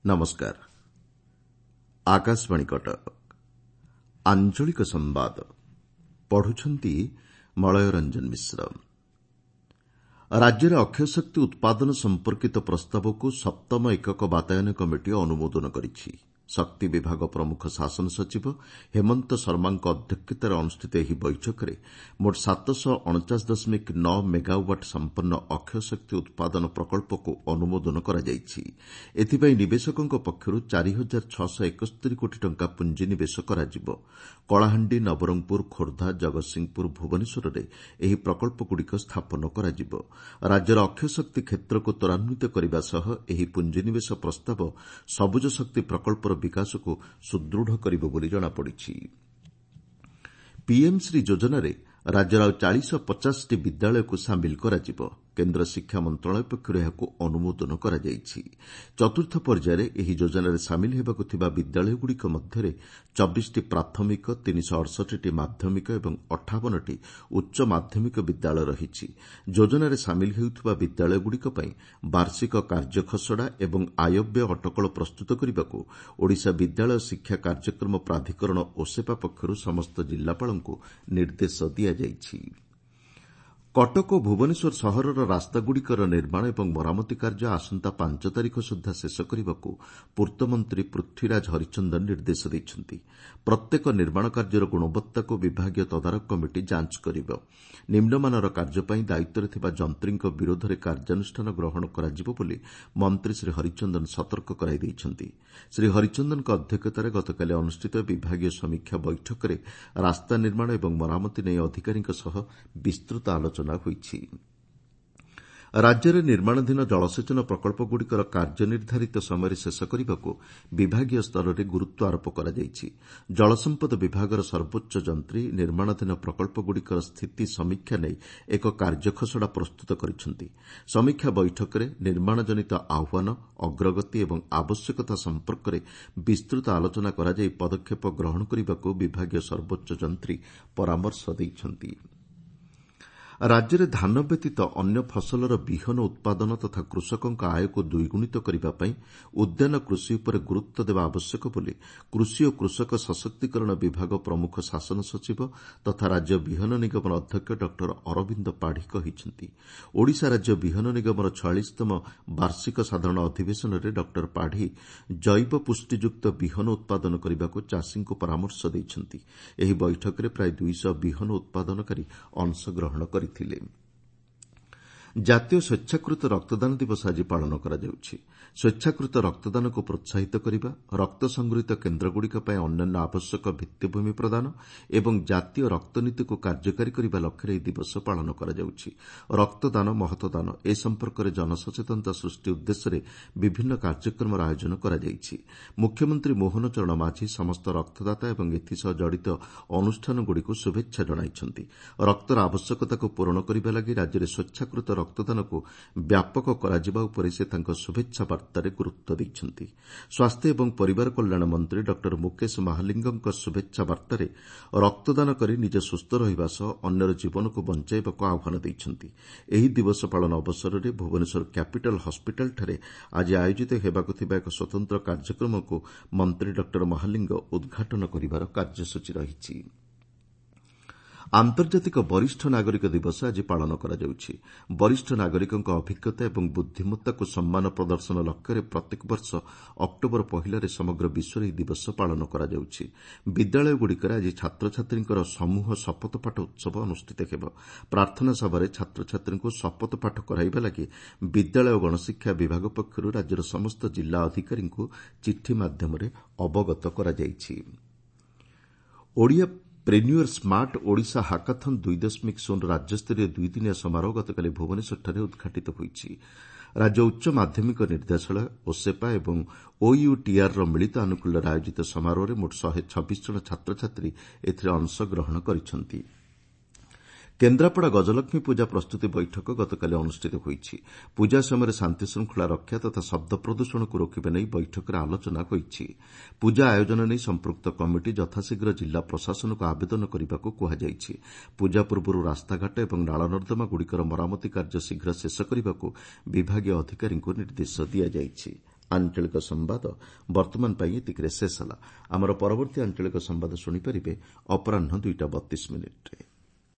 ନମସ୍କାର। ଆକାଶବାଣୀ କଟକ। ଆଞ୍ଚଳିକ ସମ୍ବାଦ ପଢୁଛନ୍ତି ମଳୟ ରଞ୍ଜନ ମିଶ୍ର। ରାଜ୍ୟରେ ଅକ୍ଷୟ ଶକ୍ତି ଉତ୍ପାଦନ ସମ୍ପର୍କିତ ପ୍ରସ୍ତାବକୁ ସପ୍ତମ ଏକକ ବାତାୟନ କମିଟି ଅନୁମୋଦନ କରିଛି। ଶକ୍ତି ବିଭାଗ ପ୍ରମୁଖ ଶାସନ ସଚିବ ହେମନ୍ତ ଶର୍ମାଙ୍କ ଅଧ୍ୟକ୍ଷତାରେ ଅନୁଷ୍ଠିତ ଏହି ବୈଠକରେ ମୋଟ 749.9 ମେଗାୱାଟ୍ ସମ୍ପନ୍ନ ଅକ୍ଷୟ ଶକ୍ତି ଉତ୍ପାଦନ ପ୍ରକଳ୍ପକୁ ଅନୁମୋଦନ କରାଯାଇଛି। ଏଥିପାଇଁ ନିବେଶକଙ୍କ ପକ୍ଷରୁ 4671 କୋଟି ଟଙ୍କା ପୁଞ୍ଜିନିବେଶ କରାଯିବ। କଳାହାଣ୍ଡି, ନବରଙ୍ଗପୁର, ଖୋର୍ଦ୍ଧା, ଜଗତସିଂହପୁର, ଭୁବନେଶ୍ୱରରେ ଏହି ପ୍ରକଳ୍ପଗୁଡ଼ିକ ସ୍ଥାପନ କରାଯିବ। ରାଜ୍ୟର ଅକ୍ଷୟ ଶକ୍ତି କ୍ଷେତ୍ରକୁ ତ୍ୱରାନ୍ୱିତ କରିବା ସହ ଏହି ପୁଞ୍ଜିନିବେଶ ପ୍ରସ୍ତାବ ସବୁଜ ଶକ୍ତି ପ୍ରକଳ୍ପର ବିକାଶକୁ ସୁଦୃଢ଼ କରିବ ବୋଲି ଜଣାପଡ଼ିଛି। ପିଏମ୍ ଶ୍ରୀ ଯୋଜନାରେ ରାଜ୍ୟର ଆଉ 450ଟି ବିଦ୍ୟାଳୟକୁ ସାମିଲ କରାଯିବ। କେନ୍ଦ୍ର ଶିକ୍ଷା ମନ୍ତ୍ରଣାଳୟ ପକ୍ଷରୁ ଏହାକୁ ଅନୁମୋଦନ କରାଯାଇଛି। ଚତୁର୍ଥ ପର୍ଯ୍ୟାୟରେ ଏହି ଯୋଜନାରେ ସାମିଲ ହେବାକୁ ଥିବା ବିଦ୍ୟାଳୟଗୁଡ଼ିକ ମଧ୍ୟରେ 24ଟି ପ୍ରାଥମିକ, 368ଟି ମାଧ୍ୟମିକ ଏବଂ 58ଟି ଉଚ୍ଚ ମାଧ୍ୟମିକ ବିଦ୍ୟାଳୟ ରହିଛି। ଯୋଜନାରେ ସାମିଲ ହେଉଥିବା ବିଦ୍ୟାଳୟଗୁଡ଼ିକ ପାଇଁ ବାର୍ଷିକ କାର୍ଯ୍ୟଖସଡ଼ା ଏବଂ ଆୟବ୍ୟୟ ଅଟକଳ ପ୍ରସ୍ତୁତ କରିବାକୁ ଓଡ଼ିଶା ବିଦ୍ୟାଳୟ ଶିକ୍ଷା କାର୍ଯ୍ୟକ୍ରମ ପ୍ରାଧିକରଣ ଓସେପା ପକ୍ଷରୁ ସମସ୍ତ ଜିଲ୍ଲାପାଳଙ୍କୁ ନିର୍ଦ୍ଦେଶ ଦିଆଯାଇଛି। କଟକ ଓ ଭୁବନେଶ୍ୱର ସହରର ରାସ୍ତାଗୁଡ଼ିକର ନିର୍ମାଣ ଏବଂ ମରାମତି କାର୍ଯ୍ୟ ଆସନ୍ତା 5 ତାରିଖ ସୁଦ୍ଧା ଶେଷ କରିବାକୁ ପୂର୍ତ୍ତମନ୍ତ୍ରୀ ପୃଥ୍ୱୀରାଜ ହରିଚନ୍ଦନ ନିର୍ଦ୍ଦେଶ ଦେଇଛନ୍ତି। ପ୍ରତ୍ୟେକ ନିର୍ମାଣ କାର୍ଯ୍ୟର ଗୁଣବତ୍ତାକୁ ବିଭାଗୀୟ ତଦାରଖ କମିଟି ଯାଞ୍ଚ କରିବ। ନିମ୍ନମାନର କାର୍ଯ୍ୟ ପାଇଁ ଦାୟିତ୍ୱରେ ଥିବା ଯନ୍ତ୍ରୀଙ୍କ ବିରୋଧରେ କାର୍ଯ୍ୟାନୁଷ୍ଠାନ ଗ୍ରହଣ କରାଯିବ ବୋଲି ମନ୍ତ୍ରୀ ଶ୍ରୀ ହରିଚନ୍ଦନ ସତର୍କ କରାଇ ଦେଇଛନ୍ତି। ଶ୍ରୀ ହରିଚନ୍ଦନଙ୍କ ଅଧ୍ୟକ୍ଷତାରେ ଗତକାଲି ଅନୁଷ୍ଠିତ ବିଭାଗୀୟ ସମୀକ୍ଷା ବୈଠକରେ ରାସ୍ତା ନିର୍ମାଣ ଏବଂ ମରାମତି ନେଇ ଅଧିକାରୀଙ୍କ ସହ ବିସ୍ତୃତ ଆଲୋଚନା ହୋଇଛି। ରାଜ୍ୟରେ ନିର୍ମାଣାଧୀନ ଜଳସେଚନ ପ୍ରକଳ୍ପଗୁଡ଼ିକର କାର୍ଯ୍ୟ ନିର୍ଦ୍ଧାରିତ ସମୟରେ ଶେଷ କରିବାକୁ ବିଭାଗୀୟ ସ୍ତରରେ ଗୁରୁତ୍ୱ ଆରୋପ କରାଯାଇଛି। ଜଳସମ୍ପଦ ବିଭାଗର ସର୍ବୋଚ୍ଚ ଯନ୍ତ୍ରୀ ନିର୍ମାଣାଧୀନ ପ୍ରକଳ୍ପଗୁଡ଼ିକର ସ୍ଥିତି ସମୀକ୍ଷା ନେଇ ଏକ କାର୍ଯ୍ୟଖସଡ଼ା ପ୍ରସ୍ତୁତ କରିଛନ୍ତି। ସମୀକ୍ଷା ବୈଠକରେ ନିର୍ମାଣଜନିତ ଆହ୍ୱାନ, ଅଗ୍ରଗତି ଏବଂ ଆବଶ୍ୟକତା ସମ୍ପର୍କରେ ବିସ୍ତୃତ ଆଲୋଚନା କରାଯାଇ ପଦକ୍ଷେପ ଗ୍ରହଣ କରିବାକୁ ବିଭାଗୀୟ ସର୍ବୋଚ୍ଚ ଯନ୍ତ୍ରୀ ପରାମର୍ଶ ଦେଇଛନ୍ତି। ରାଜ୍ୟରେ ଧାନ ବ୍ୟତୀତ ଅନ୍ୟ ଫସଲର ବିହନ ଉତ୍ପାଦନ ତଥା କୃଷକଙ୍କ ଆୟକୁ ଦ୍ୱିଗୁଣିତ କରିବା ପାଇଁ ଉଦ୍ୟାନ କୃଷି ଉପରେ ଗୁରୁତ୍ୱ ଦେବା ଆବଶ୍ୟକ ବୋଲି କୃଷି ଓ କୃଷକ ସଶକ୍ତିକରଣ ବିଭାଗ ପ୍ରମୁଖ ଶାସନ ସଚିବ ତଥା ରାଜ୍ୟ ବିହନ ନିଗମର ଅଧ୍ୟକ୍ଷ ଡକ୍ଟର ଅରବିନ୍ଦ ପାଢ଼ୀ କହିଛନ୍ତି। ଓଡ଼ିଶା ରାଜ୍ୟ ବିହନ ନିଗମର 46ତମ ବାର୍ଷିକ ସାଧାରଣ ଅଧିବେଶନରେ ଡକ୍ଟର ପାଢ଼ୀ ଜୈବ ପୁଷ୍ଟିଯୁକ୍ତ ବିହନ ଉତ୍ପାଦନ କରିବାକୁ ଚାଷୀଙ୍କୁ ପରାମର୍ଶ ଦେଇଛନ୍ତି। ଏହି ବୈଠକରେ ପ୍ରାୟ 200 ବିହନ ଉତ୍ପାଦନକାରୀ ଅଂଶଗ୍ରହଣ କରିଥିଲେ। ଜାତୀୟ ସ୍ୱେଚ୍ଛାକୃତ ରକ୍ତଦାନ ଦିବସ ଆଜି ପାଳନ କରାଯାଉଛି। ସ୍ୱେଚ୍ଛାକୃତ ରକ୍ତଦାନକୁ ପ୍ରୋତ୍ସାହିତ କରିବା, ରକ୍ତ ସଂଗୃହୀତ କେନ୍ଦ୍ରଗୁଡ଼ିକ ପାଇଁ ଅନ୍ୟାନ୍ୟ ଆବଶ୍ୟକ ଭିତ୍ତିଭୂମି ପ୍ରଦାନ ଏବଂ ଜାତୀୟ ରକ୍ତନୀତିକୁ କାର୍ଯ୍ୟକାରୀ କରିବା ଲକ୍ଷ୍ୟରେ ଏହି ଦିବସ ପାଳନ କରାଯାଉଛି। ରକ୍ତଦାନ ମହତଦାନ ଏ ସମ୍ପର୍କରେ ଜନସଚେତନତା ସୃଷ୍ଟି ଉଦ୍ଦେଶ୍ୟରେ ବିଭିନ୍ନ କାର୍ଯ୍ୟକ୍ରମର ଆୟୋଜନ କରାଯାଇଛି। ମୁଖ୍ୟମନ୍ତ୍ରୀ ମୋହନ ଚରଣ ମାଝୀ ସମସ୍ତ ରକ୍ତଦାତା ଏବଂ ଏଥିସହ ଜଡ଼ିତ ଅନୁଷ୍ଠାନଗୁଡ଼ିକୁ ଶୁଭେଚ୍ଛା ଜଣାଇଛନ୍ତି। ରକ୍ତର ଆବଶ୍ୟକତାକୁ ପୂରଣ କରିବା ଲାଗି ରାଜ୍ୟରେ ସ୍ୱେଚ୍ଛାକୃତ ରକ୍ତଦାନକୁ ବ୍ୟାପକ କରାଯିବା ଉପରେ ସେ ତାଙ୍କ ଶୁଭେଚ୍ଛା ବାର୍ତ୍ତାରେ ଗୁରୁତ୍ୱ ଦେଇଛନ୍ତି। ସ୍ୱାସ୍ଥ୍ୟ ଏବଂ ପରିବାର କଲ୍ୟାଣ ମନ୍ତ୍ରୀ ଡକ୍ଟର ମୁକେଶ ମହାଲିଙ୍ଗଙ୍କ ଶୁଭେଚ୍ଛା ବାର୍ତ୍ତାରେ ରକ୍ତଦାନ କରି ନିଜେ ସୁସ୍ଥ ରହିବା ସହ ଅନ୍ୟର ଜୀବନକୁ ବଞ୍ଚାଇବାକୁ ଆହ୍ୱାନ ଦେଇଛନ୍ତି। ଏହି ଦିବସ ପାଳନ ଅବସରରେ ଭୁବନେଶ୍ୱର କ୍ୟାପିଟାଲ ହସ୍ପିଟାଲଠାରେ ଆଜି ଆୟୋଜିତ ହେବାକୁ ଥିବା ଏକ ସ୍ୱତନ୍ତ୍ର କାର୍ଯ୍ୟକ୍ରମକୁ ମନ୍ତ୍ରୀ ଡକ୍ଟର ମହାଲିଙ୍ଗ ଉଦ୍ଘାଟନ କରିବାର କାର୍ଯ୍ୟସୂଚୀ ରହିଛି। ଆନ୍ତର୍ଜାତିକ ବରିଷ୍ଠ ନାଗରିକ ଦିବସ ଆଜି ପାଳନ କରାଯାଉଛି। ବରିଷ୍ଠ ନାଗରିକଙ୍କ ଅଭିଜ୍ଞତା ଏବଂ ବୁଦ୍ଧିମତ୍ତାକୁ ସମ୍ମାନ ପ୍ରଦର୍ଶନ ଲକ୍ଷ୍ୟରେ ପ୍ରତ୍ୟେକ ବର୍ଷ ଅକ୍ଟୋବର 1ରେ ସମଗ୍ର ବିଶ୍ୱରେ ଏହି ଦିବସ ପାଳନ କରାଯାଉଛି। ବିଦ୍ୟାଳୟଗୁଡ଼ିକରେ ଆଜି ଛାତ୍ରଛାତ୍ରୀଙ୍କର ସମୂହ ଶପଥପାଠ ଉତ୍ସବ ଅନୁଷ୍ଠିତ ହେବ। ପ୍ରାର୍ଥନା ସଭାରେ ଛାତ୍ରଛାତ୍ରୀଙ୍କୁ ଶପଥପାଠ କରାଇବା ଲାଗି ବିଦ୍ୟାଳୟ ଓ ଗଣଶିକ୍ଷା ବିଭାଗ ପକ୍ଷରୁ ରାଜ୍ୟର ସମସ୍ତ ଜିଲ୍ଲା ଅଧିକାରୀଙ୍କୁ ଚିଠି ମାଧ୍ୟମରେ ଅବଗତ କରାଯାଇଛି। ଓଡ଼ିଆ ପ୍ରେନ୍ୟୁଅର୍ ସ୍ମାର୍ଟ ଓଡ଼ିଶା ହାକାଥନ୍ 2.0 ରାଜ୍ୟସ୍ତରୀୟ ଦୁଇଦିନିଆ ସମାରୋହ ଗତକାଲି ଭୁବନେଶ୍ୱରଠାରେ ଉଦ୍ଘାଟିତ ହୋଇଛି। ରାଜ୍ୟ ଉଚ୍ଚ ମାଧ୍ୟମିକ ନିର୍ଦ୍ଦେଶାଳୟ, ଓସେପା ଏବଂ ଓୟୁଟିଆର୍ର ମିଳିତ ଆନୁକୂଲ୍ୟରେ ଆୟୋଜିତ ସମାରୋହରେ ମୋଟ 126 ଜଣ ଛାତ୍ରଛାତ୍ରୀ ଏଥିରେ ଅଂଶଗ୍ରହଣ କରିଛନ୍ତି। କେନ୍ଦ୍ରାପଡ଼ା ଗଜଲକ୍ଷ୍ମୀ ପୂଜା ପ୍ରସ୍ତୁତି ବୈଠକ ଗତକାଲି ଅନୁଷ୍ଠିତ ହୋଇଛି। ପୂଜା ସମୟରେ ଶାନ୍ତିଶୃଙ୍ଖଳା ରକ୍ଷା ତଥା ଶବ୍ଦ ପ୍ରଦୂଷଣକୁ ରୋକିବା ନେଇ ବୈଠକରେ ଆଲୋଚନା ହୋଇଛି। ପୂଜା ଆୟୋଜନ ନେଇ ସମ୍ପୃକ୍ତ କମିଟି ଯଥାଶୀଘ୍ର ଜିଲ୍ଲା ପ୍ରଶାସନକୁ ଆବେଦନ କରିବାକୁ କୁହାଯାଇଛି। ପୂଜା ପୂର୍ବରୁ ରାସ୍ତାଘାଟ ଏବଂ ନାଳନର୍ଦ୍ଦମାଗୁଡ଼ିକର ମରାମତି କାର୍ଯ୍ୟ ଶୀଘ୍ର ଶେଷ କରିବାକୁ ବିଭାଗୀୟ ଅଧିକାରୀଙ୍କୁ ନିର୍ଦ୍ଦେଶ ଦିଆଯାଇଛି। ଆଞ୍ଚଳିକ ସମ୍ବାଦ ବର୍ତ୍ତମାନ ପାଇଁ ଏତିକିରେ ଶେଷ ହେଲା। ଆମର ପରବର୍ତ୍ତୀ ଆଞ୍ଚଳିକ ସମ୍ବାଦ ଶୁଣିପାରିବେ ଅପରାହ୍ନ 2ଟା 32 ମିନିଟ୍ରେ।